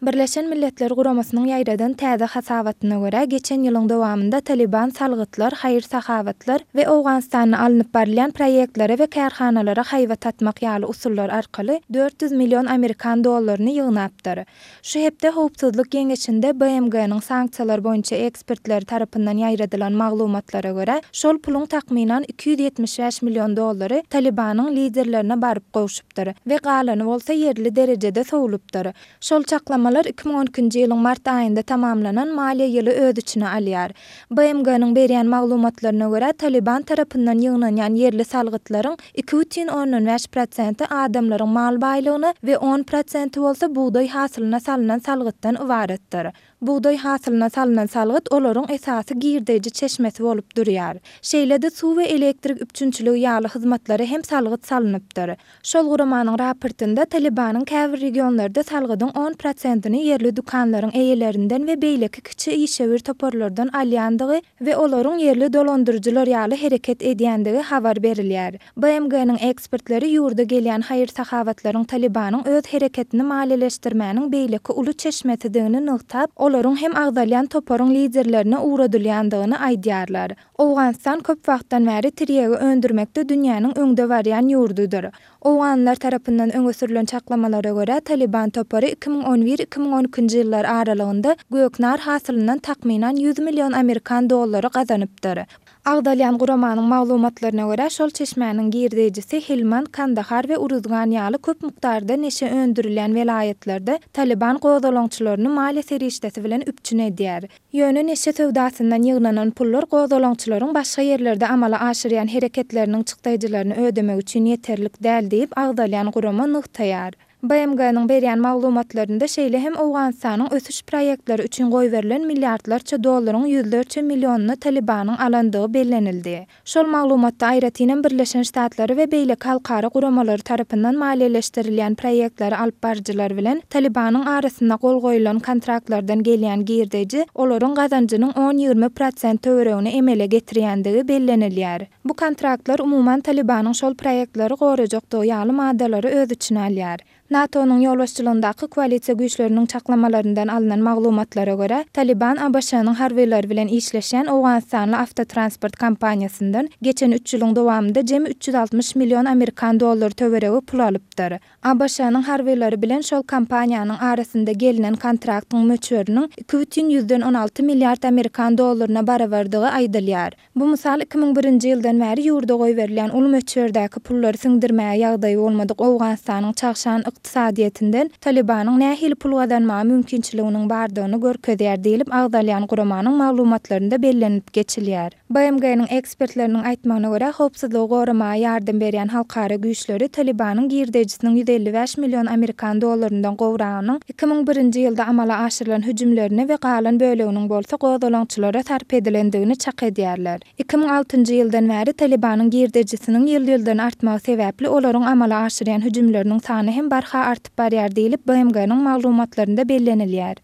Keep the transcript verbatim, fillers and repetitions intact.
Birleşen Milletler Guramasynyň ýaýradan täze hasabatyna görä, geçen ýylyň dowamynda Talyban salgytlar, haýyr-sahawatlar we Owganystanda alnyp barylýan proýektlere we kärhanalara haýbat atmak ýaly usullar arkaly dört ýüz million amerikan dollaryny ýygnapdyr. Şu hepde Howpsuzlyk Geňeşinde B M G-niň sanksiýalar boýunça ekspertleri tarapyndan ýaýradylan maglumatlara görä, şol puluň takmynan iki ýüz ýetmiş bäş million dollary Talybanyň liderlerine baryp gowşupdyr we galany bolsa ýerli derejede sowlupdyr. Şol çaklamalar iki müň on ikinji ýylyň mart aýynda tamamlanan maliýe ýyly öz içine alýar. B M G-niň berýän maglumatlaryna görä, Talyban tarapyndan ýygnanýan ýerli salgytlaryň iki bütin ondan bäş prosenti adamlaryň mal baýlygyna we on prosenti bolsa bugdaý hasylyna salynan salgytdan ybaratdyr. Bugdaý hasylyna salynan salgyt olaryň esasy girdeji çeşmesi bolup durýar. Şeýle-de suw we elektrik üpjünçiligi ýaly hyzmatlara hem salgyt salynypdyr. Şol guramanyň raportynda Talybanyň käbir regionlarda salgydyň on prosentini ýerli dükanlaryň eýelerinden we beýleki kiçi işewür toparlardan alýandygy we olaryň ýerli dolandyryjylar ýaly hereket edýändigi habar berilýär. B M G-niň ekspertleri ýurda gelýän haýyr-sahabatlaryň Talybanyň öz hereketini maliýeleşdirmäniň beýleki uly çeşmesidigini nygtap, olaryň hem agzalýan toparyň liderlerine ugradylýandygyny aýdýarlar. Owganystan köp wagtdan bäri tirýegi öndürmekde dünýäniň öňde barýan ýurdudyr. Owganlar tarapyndan öňe sürülen çaklamalara görä, Talyban topary iki müň on bir iki müň on ikinji ýyllar aralygynda göknar hasylyndan takmynan ýüz million amerikan dollary gazanypdyr. Agzalýan guramanyň maglumatlaryna görä, şol çeşmäniň girdejisi Helmand, Kandahar we Uruzgan ýaly köp mukdarda neşe öndürilýän welaýatlarda Talyban gozgalaňçylaryny maliýe serişdesi bilen üpjün edýär. Ýöne neşe söwdasyndan ýygnanan pullar gozgalaňçylaryň başga ýerlerde amala aşyrýan hereketleriniň çykdaýjylaryny ödemek üçin ýeterlik däl diýip agzalýan gurama nygtaýar. B M G-niň berýän maglumatlarynda şeýle hem Owganystanyň ösüş proýektleri üçin goýberilen milliardlarça dollaryň ýüzlerçe millionyny Talybanyň alandygy bellenildi. Şol maglumatda aýratynam Birleşen Ştatlary we beýleki halkara guramalary tarapyndan maliýeleşdirilýän proýektleri alyp baryjylar bilen Talybanyň arasynda gol goýulan kontraktlardan gelýän girdeji olaryň gazanjynyň on-ýigrimi prosent töweregini emele getirýändigi bellenilýär. Bu kontraktlar umuman Talybanyň şol proýektleri gorajakdygy ýaly maddalary öz içine alýar. NATO-nyň ýolbaşçylygyndaky koalisiýa güýçleriniň çaklamalaryndan alynan maglumatlara görä, Talyban A B Ş-nyň harbylary bilen işleşýän Owganystanly awtotransport kompaniýasyndan geçen üç ýylyň dowamynda jemi üç ýüz altmyş million amerikan dollary töweregi pul alypdyr. A B Ş-nyň harbylary bilen şol kompaniýanyň arasynda gelinen kontraktyň möçberiniň iki bütin ýüzden on alty milliard amerikan dollaryna barabardygy aýdylýar. Bu mysal iki müň birinji ýyldan bäri ýurda goýberilýän uly möçberdäki pullary siňdirmäge ýagdaýy bolmadyk Owganystanyň çagşan ykdysadyýetinden Talybanyň nähili pul gazanmaga mümkinçiliginiň bardygyny görkezýär diýlip agzalýan guramanyň maglumatlarynda bellenilip geçilýär. B M G-niň ekspertleriniň aýtmagyna görä, howpsuzlygy goramaga ýardam berýän halkara güýçleri Talybanyň girdejisiniň ýüz elli bäş million amerikan dollaryndan gowragynyň iki müň birinji ýylda amala aşyrylan hüjümlerine we galan böleginiň bolsa gozgalaňçylara sarp edilendigini çak edýärler. Iki müň altynjy ýyldan bäri Talybanyň girdejisiniň ýyl-ýyldan artmagy sebäpli olaryň amala aşyrýan hüjümleriniň sany hem barha artyp barýar diýlip B M G-niň maglumatlarynda bellenilýär.